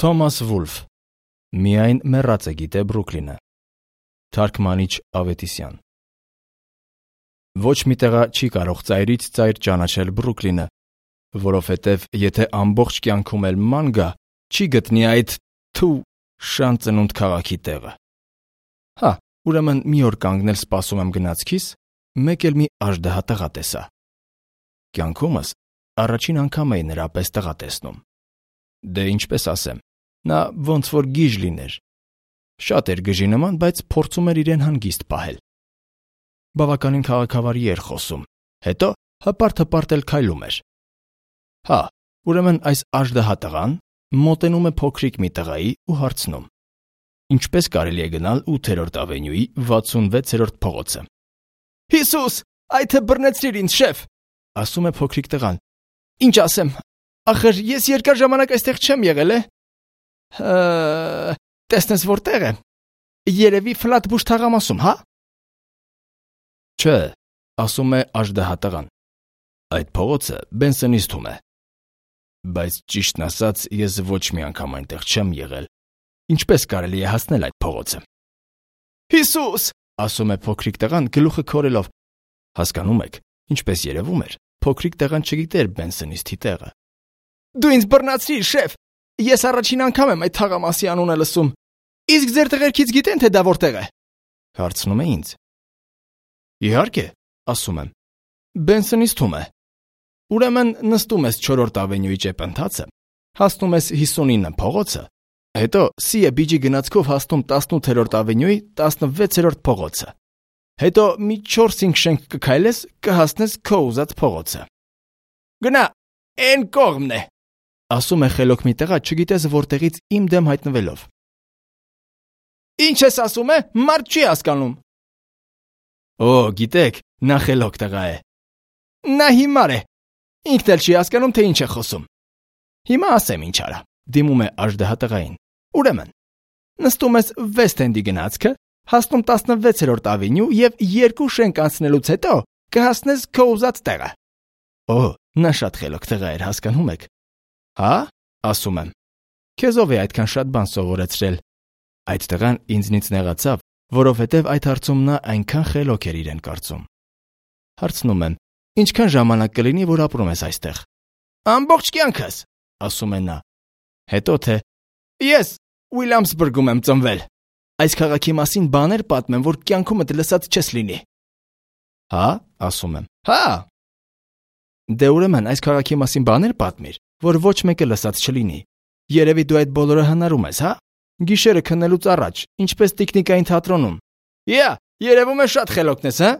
Թոմաս Վուլֆ Միայն մեռածը գիտե Բրուքլինը Թարգմանիչ Ավետիսյան Ոչ մի տեղա չի կարող ծայրից ծայր ճանաչել Բրուքլինը, որովհետև եթե ամբողջ կյանքում էլ ման գա, չի գտնի այդ շան ծնունդ քաղաքի տեղը։ Հա, ուրեմն մի օր կանգնել սպասում եմ գնացքիս, մեկ էլ մի աժդահա տղա տեսա։ Կյանքումս առաջին անգամ էի նրա պես տղա տեսնում։ Դե ինչպես ասեմ, նա ոնց որ գիժ լիներ։ Շատ էր գժի նման, բայց փորձում էր իրեն հանգիստ պահել։ Բավականին քաղաքավարի էր խոսում, հետո հպարտ էլ քայլում էր։ Հա, ուրեմն այս աժդահա տղան մոտենում է փոքրիկ մի տղայի ու հարցնում. Ինչպես կարելի է գնալ 8-րդ ավենյուի 66-րդ փողոցը։ Հիսուս, այդ է բռնեցրիր ինձ, շեֆ, ասում է փոքրիկ տղան։ Ինչ ասեմ, ախր ես երկար ժամանակ այստեղ չեմ եղել, տեսնես որտեղ է։ Երևի Ֆլատբուշ թաղամասում, հա։ Չէ, ասում է աժդահա տղան։ Այդ փողոցը Բենսոնից թվում է։ Բայց ճիշտն ասած, ես ոչ մի անգամ այնտեղ չեմ եղել։ Ինչպես կարելի է հասնել այդ փողոցը։ Հիսուս, ասում է փոքրիկ տղան գլուխը քորելով։ Հասկանում եք, ինչպես երևում էր, փոքրիկ տղան չգիտեր Բենսոնիստի տեղը։ Դու ինձ բռնացրիր, շեֆ։ Ես առաջին անգամ եմ այդ թաղամասի անունը լսում։ Իսկ ձեր տղերքից գիտեն, թե դա որտեղ է։ Հարցնում է ինձ։ Իհարկե, ասում եմ։ Բենսոնից թվում է։ Ուրեմն նստում ես 4-րդ ավենյուի ճեպընթացը, հասնում ես 59 փողոցը, հետո Սիեբիջի գնացքով հասնում 18-րդ ավենյուի 16-րդ փողոցը։ Հետո մի 4-5 շենք կքայլես, կհասնես քո ուզած փողոցը։ Գնա, այն կողմն է, ասում է խելոք մի տղա, չգիտես որտեղից իմ դեմ հայտնվելով։ Ինչ ես ասում է, մարդ չի հասկանում։ Օ, գիտեք, նա խելոք տղա է։ Նա հիմար է։ Ինքն էլ չի հասկանում, թե ինչ է խոսում։ Հիմա ասեմ ինչ արա, դիմում է աժդահա տղային։ Ուրեմն, նստում ես Վեսթենդի գնացքը, հասնում 16-րդ ավենյու եւ 2 շենք անցնելուց հետո կհասնես քո ուզած տեղը։ Օ, նա շատ խելոք տղա էր, հասկանում եք։ Հա, ասում եմ։ Քեզ ով է այդքան շատ բան սովորեցրել։ Այդ տղան ինձնից նեղացավ, որովհետև այդ հարցում նա այնքան խելոք էր իրեն կարծում։ Հարցնում եմ. Ինչքան ժամանակ կլինի, որ ապրում ես այստեղ։ Ամբողջ կյանքս, ասում է նա։ Հետո թե ես Ուիլյամսբուրգում եմ ծնվել։ Այս քաղաքի մասին բաներ պատմեմ, որ կյանքումդ լսած չես լինի։ Հա, ասում եմ։ Հա։ Դե ուրեմն այս քաղաքի մասին բաներ պատմիր, որ ոչ մեկը լսած չլինի։ Երևի դու այդ բոլորը հնարում ես, հա։ Գիշերը քննելուց առաջ, ինչպես տիկնիկային թատրոնում։ Երևում է շատ խելոքն ես, հա։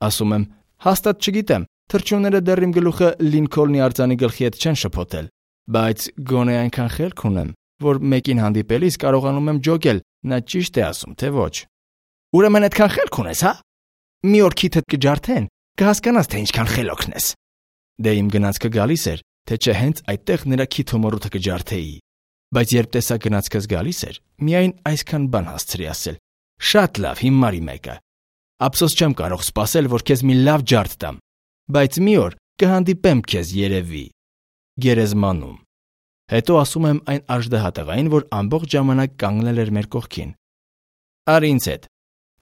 Ասում եմ. Հաստատ չգիտեմ, թռչունները դեռ իմ գլուխը Լինքոլնի արձանի գլխի հետ չեն շփոթել, բայց գոնե այնքան խելք ունեմ, որ մեկին հանդիպելիս կարողանում եմ ջոգել, նա ճիշտ է ասում, թե ոչ։ Ուրեմն այդքան խելք ունես, հա։ Մի օր քիթդ կջարդեն, կհասկանաս, թե ինչքան խելոքն ես։ Դե իմ գնացքը գալիս էր, թե չէ հենց այդտեղ նրա քիթոմորութը կջարդեի։ Բայց երբ տեսա գնացքս գալիս էր, միայն այսքան բան հասցրի ասել. Շատ լավ, հիմարի մեկը։ Ափսոս չեմ կարող սպասել, որ քեզ մի լավ ջարդ տամ, բայց մի օր կհանդիպեմ քեզ երևի գերեզմանում։ Հետո ասում եմ այն աժդահա տղային, որ ամբողջ ժամանակ կանգնել էր մեր կողքին։ Արի ինձ հետ։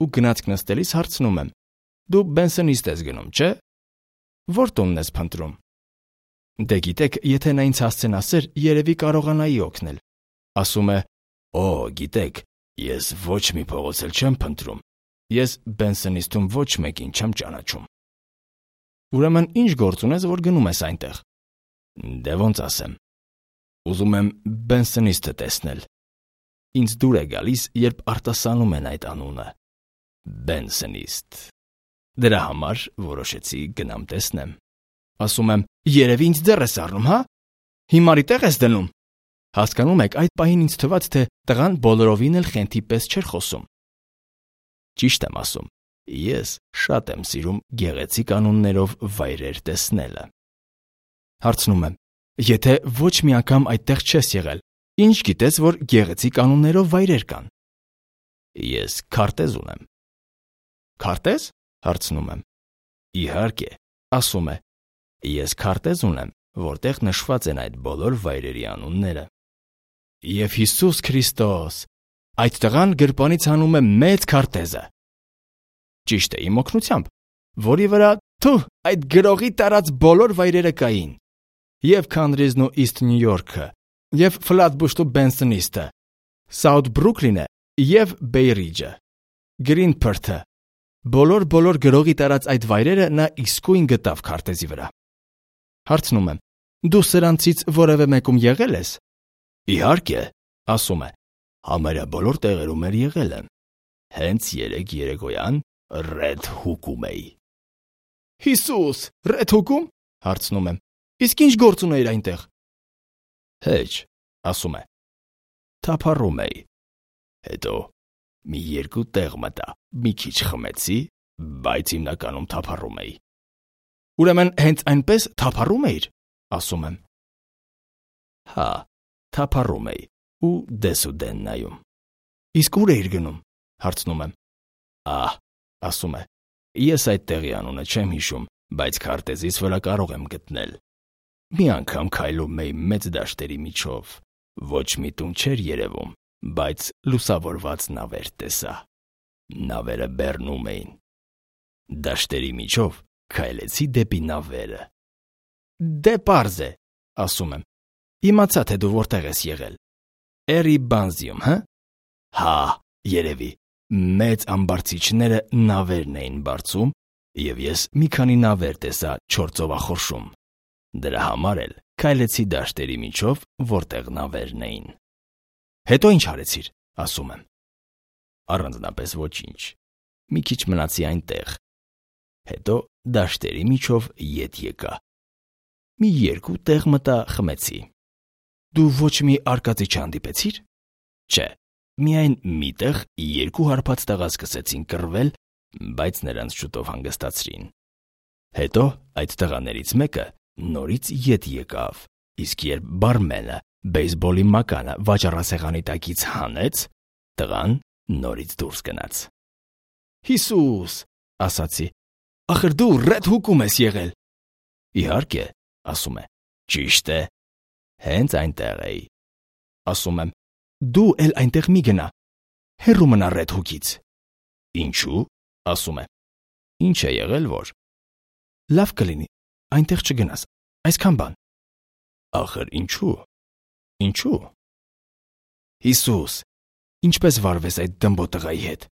Ու գնացք նստելիս հարցնում եմ. Դու Բենսոնից ես գնում, չէ՞։ Որ տունն ես փնտրում։ Դե գիտեք, եթե նա ինձ հասցնասեր, երևի կարողանայի օգնել։ Ասում է. Օ, գիտեք, ես ոչ մի փողոց էլ չեմ փնտրում։ Ես Բենսոնիստում ոչ մեկին չեմ ճանաչում։ Ուրեմն ինչ գործ ունես, որ գնում ես այնտեղ։ Դե ոնց ասեմ։ Ուզում եմ Բենսոնիստը տեսնել։ Ինձ դուր է գալիս, երբ արտասանում են այդ անունը։ Բենսոնիստ։ Դրա համար որոշեցի գնամ տեսնեմ։ Ասում եմ. Երևի ինձ դեռ ես առնում, հա։ Հիմարի տեղ ես դնում։ Հասկանում եք, այդ պահին ինձ թվաց, թե տղան բոլորովին էլ խենթի պես չէր խոսում։ Ճիշտ եմ ասում, ես շատ եմ սիրում գեղեցիկ անուններով վայրեր տեսնելը։ Հարցնում եմ. Եթե ոչ մի անգամ այդտեղ չես եղել, ինչ գիտես, որ գեղեցիկ անուններով վայրեր կան։ Ես քարտեզ ունեմ։ Քարտեզ? Հարցնում եմ։ Իհարկե, ասում է. Ես քարտեզ ունեմ, որտեղ նշված են այդ բոլոր վայրերի անունները։ Եվ Հիսուս Քրիստոս, այդ տղան գրպանից հանում է մեծ քարտեզը։ Ճիշտ է, իմ օգնությամբ, որի վրա այդ գրողի տարած բոլոր վայրերը կային։ Եվ Քանրիզն ու Իսթ Նյու Յորքը, եւ Ֆլատբուշն ու Բենսոնիստը, Սաութ Բրուքլինը եւ Բեյրիջը, Գրինփորթը, բոլոր գրողի տարած այդ վայրերը նա իսկույն գտավ քարտեզի վրա։ Հարցնում եմ. դու սրանցից որևէ մեկում եղել ես։ Իհարկե, ասում է, համարյա բոլոր տեղերում եղել եմ։ Հենց երեկոյան Ռեդ Հուկում էի։ Հիսուս, Ռեդ Հուկում, հարցնում եմ, իսկ ինչ գործ ունեիր այնտեղ։ Հեչ, ասում է, թափառում էի։ Հետո մի երկու տեղ մտա, մի քիչ խմեցի, բայց հիմնականում թափառում էի։ Ուրեմն հենց այնպես թափառում էիր, ասում եմ։ Հա, թափառում էի ու դեսուդեն նայում։ Իսկ ուր էիր գնում, հարցնում եմ։ Ասում է, ես այդ տեղի անունը չեմ հիշում, բայց քարտեզից վրա կարող եմ գտնել։ Մի անգամ քայլում էի մեծ դաշտերի միջով, ոչ մի տուն չէր երևում, բայց լուսավորված նավեր տեսա։ Նավերը բեռնում էին։ Դաշտերի միջով քայլեցի դեպի նավերը։ Դե պարզ է, ասում եմ։ Իմացա, թե դու որտեղ ես եղել։ Էրիբանզիում, հա։ Հա, երևի, մեծ ամբարձիչները նավերն էին բարձում, եւ ես մի քանի նավեր տեսա 4 ծովախորշում։ Դրա համար էլ քայլեցի դաշտերի միջով, որտեղ նավերն էին։ Հետո ինչ արեցիր, ասում եմ։ Առանձնապես ոչինչ։ Մի քիչ մնացի այնտեղ։ Հետո դաշտերի միջով ետ եկա։ Մի երկու տեղ մտա, խմեցի։ Դու ոչ մի արկածի չհանդիպեցիր։ Չէ, միայն միտեղ երկու հարբած տղա սկսեցին կռվել, բայց նրանց շուտով հանգստացրին։ Հետո այդ տղաներից մեկը նորից ետ եկավ, իսկ երբ բարմենը բեյսբոլի մականը վաճառասեղանի տակից հանեց, տղան նորից դուրս գնաց։ Հիսուս, ասացի, ախր դու Ռեդ Հուկում ես եղել։ Իհարկե, ասում է, ճիշտ է, հենց այնտեղ էի։ Ասում եմ, դու էլ այնտեղ մի գնա, հեռու մնա Ռեդ Հուկից։ Ինչու, ասում է, ինչ է եղել, որ։ Լավ կլինի, այնտեղ չգնաս, այսքան բան։ Ախր ինչու։ Հիսուս, ինչպես վարվես այդ դմբո տղայի հետ։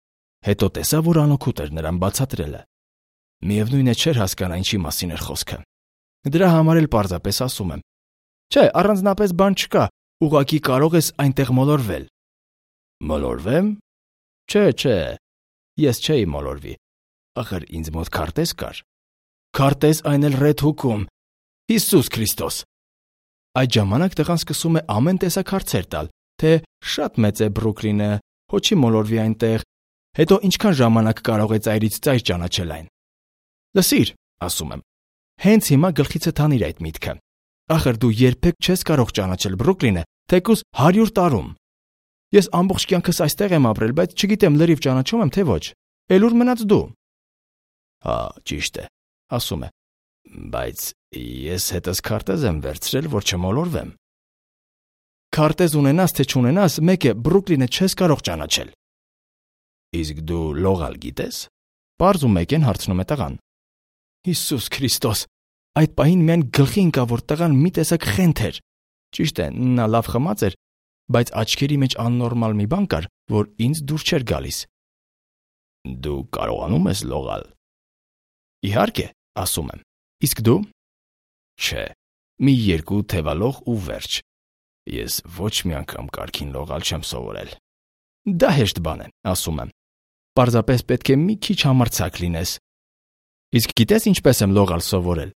Հետո տեսա, որ անօգուտ էր նրան բացատրելը։ Միևնույն է չէր հասկանա ինչի մասին էր խոսքը։ Դրա համար էլ պարզապես ասում եմ. Չէ, առանձնապես բան չկա, ուղղակի կարող ես այնտեղ մոլորվել։ Մոլորվեմ։ Չէ, ես չէի մոլորվի։ Ախր ինձ մոտ քարտեզ կար։ Քարտեզ այն էլ Ռեդ Հուկում։ Հիսուս Քրիստոս։ Այդ ժամանակ տղան սկսում է ամեն տեսակ հարցեր տալ, թե շատ մեծ է Բրուքլինը, հոչի մոլորվի այնտեղ, հետո ինչքան ժամանակ կարող է ծայրից ծայր ճանաչել այն։ Լսիր, ասում եմ, հենց հիմա գլխիցդ հանիր այդ միտքը։ Ախր դու երբեք չես կարող ճանաչել Բրուքլինը, թեկուզ 100 տարում։ Ես ամբողջ կյանքս այստեղ եմ ապրել, բայց չգիտեմ լրիվ ճանաչում եմ, թե ոչ։ Էլ ուր մնաց դու։ Հա, ճիշտ է, ասում է, բայց ես հետս քարտեզ եմ վերցրել, որ չմոլորվեմ։ Քարտեզ ունենաս, թե չունենաս, մեկ է Բրուքլինը չես կարող ճանաչել։ Իսկ դու լողալ գիտես։ Պարզ ու մեկ են հարցնում է տղան։ Հիսուս Քրիստոս, այդ պահին միայն գլխի ընկավ, որ տղան մի տեսակ խենթ էր։ Ճիշտ է, նա լավ խմած էր, բայց աչքերի մեջ աննորմալ մի բան կար, որ ինձ դուր չէր գալիս։ Դու կարողանում ես լողալ։ Իհարկե, ասում եմ։ Իսկ դու։ Չէ, մի երկու թևալող ու վերջ։ Ես ոչ մի անգամ կարգին լողալ չեմ սովորել։ Դա հեշտ բան է, ասում եմ։ Պարզապես պետք է մի քիչ համարձակ լինես։ Իսկ գիտես ինչպես եմ լողալ սովորել։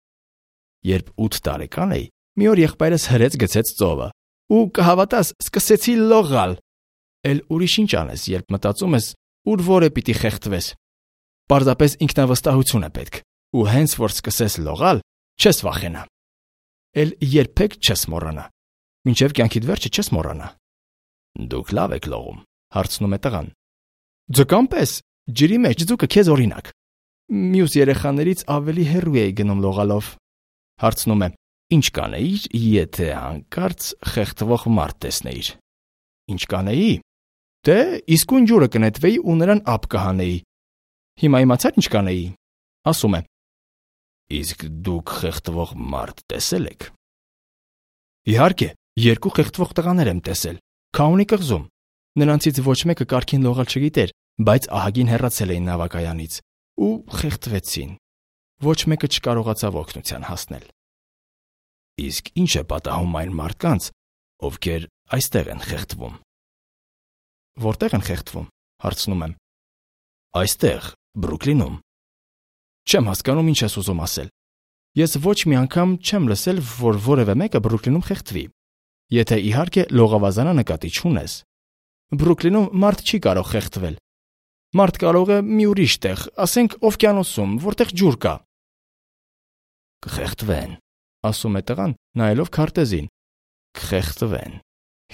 Երբ 8 տարեկան էի, մի օր եղբայրս հրեց գցեց ծովը, ու կհավատաս, սկսեցի լողալ։ Էլ ուրիշ ինչ անես, երբ մտածում ես, ուր որը պիտի խեղդվես։ Պարզապես ինքնավստահություն է պետք, ու հենց որ սկսես լողալ, չես վախենա։ Էլ երբեք չես մոռանա։ Մինչև կյանքիդ վերջը չես մոռանա։ Դուք լավ եք լողում, հարցնում է տղան։ Ձկան պես, ջրի մեջ ձուկը քեզ օրինակ։ Մյուս երեխաներից ավելի հեռու էի գնում լողալով։ Հարցնում է. Ինչ կանեիր, եթե հանկարծ խեղդվող մարդ տեսնեիր։ Ինչ կանեի։ Դե, իսկույն ջուրը կնետվեի ու նրան ափ կհանեի։ Հիմա իմացա՞ր ինչ կանեի։ Ասում է. Իսկ դուք խեղդվող մարդ տեսել եք։ Իհարկե, 2 խեղդվող տղաներ եմ տեսել, Քաունի կղզում։ Նրանցից ոչ մեկը կարգին լողալ չգիտեր, բայց ահագին հեռացել էին նավակայանից ու խեղդվեցին։ Ոչ մեկը չկարողացավ օգնության հասնել։ Իսկ ինչ է պատահում այն մարդկանց, ովքեր այստեղ են խեղդվում։ Որտեղ են խեղդվում, հարցնում եմ։ Այստեղ, Բրուքլինում։ Չեմ հասկանում ինչ ես ուզում ասել։ Ես ոչ մի անգամ չեմ լսել, որ որևէ մեկը Բրուքլինում խեղդվի։ Եթե իհարկե լողավազանը նկատի չունես։ Բրուքլինում մարդ չի կարող խեղդվել։ Մարդ կարող է մի ուրիշ տեղ, ասենք օվկիանոսում, որտեղ ջուր կա։ Կխեղդվեն, ասում է տղան, նայելով քարտեզին։ Կխեղդվեն։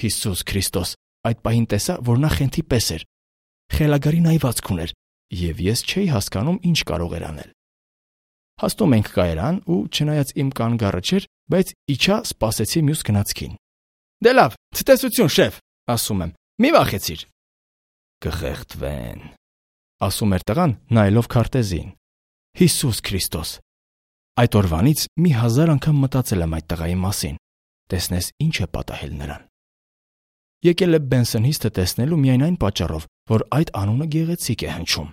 Հիսուս Քրիստոս, այդ պահին տեսա, որ նա խենթի պես էր։ Խելագարի նայվածք ուներ, եւ ես չէի հասկանում, ինչ կարող էր անել։ Հաստում ենք կայարան ու չնայած իմ կանգառը չէր, բայց իջա սպասեցի մյուս գնացքին։ Դե լավ, ցտեսություն, շեֆ, ասում եմ։ Մի վախեցիր։ Կխեղդվեն, ասում էր տղան, նայելով քարտեզին։ Հիսուս Քրիստոս։ Այդ օրվանից մի 1000 անգամ մտածել եմ այդ տղայի մասին։ Տեսնես ինչ է պատահել նրան։ Եկել է Բենսոն Հիսթը տեսնելու միայն այն պատճառով, որ այդ անունը գեղեցիկ է հնչում։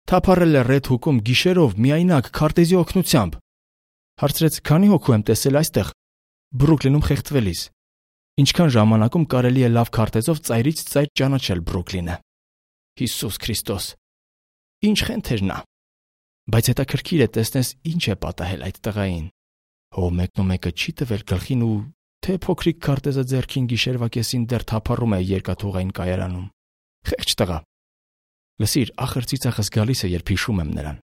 Թափառել է Ռեդ Հուկում գիշերով միայնակ քարտեզի օգնությամբ։ Հարցրեց, քանի հոգու եմ տեսել այստեղ Բրուքլինում խեղդվելիս։ Ինչքան ժամանակում կարելի է լավ քարտեզով ծայրից ծայր ճանաչել Բրուքլինը։ Հիսուս Քրիստոս։ Ինչ խենթ էր նա։ Բայց հետաքրքիր է տեսնես ինչ է պատահել այդ տղային։ Հո մեկնումեկը չի տվել գլխին ու թե փոքրիկ քարտեզը ձեռքին գիշերվա կեսին դեռ թափառում է երկաթուղային կայարանում։ Խեղճ տղա։ Լսիր, ախր ծիծաղս գալիս է, երբ հիշում եմ նրան։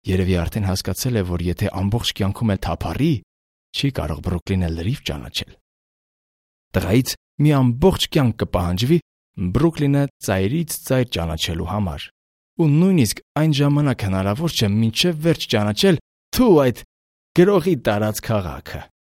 Երևի արդեն հասկացել է, որ եթե ամբողջ կյանքում էլ թափառի, չի կարող Բրուքլինը լրիվ ճանաչել։ Տղայից մի ամբողջ կյանք կպահանջվի Բրուքլինը ծայրից ծայր ճանաչելու համար։ Ու նույնիսկ այն ժամանակ հնարավոր չէ մինչև վերջ ճանաչել թու այդ գրողի տարած քաղաքը։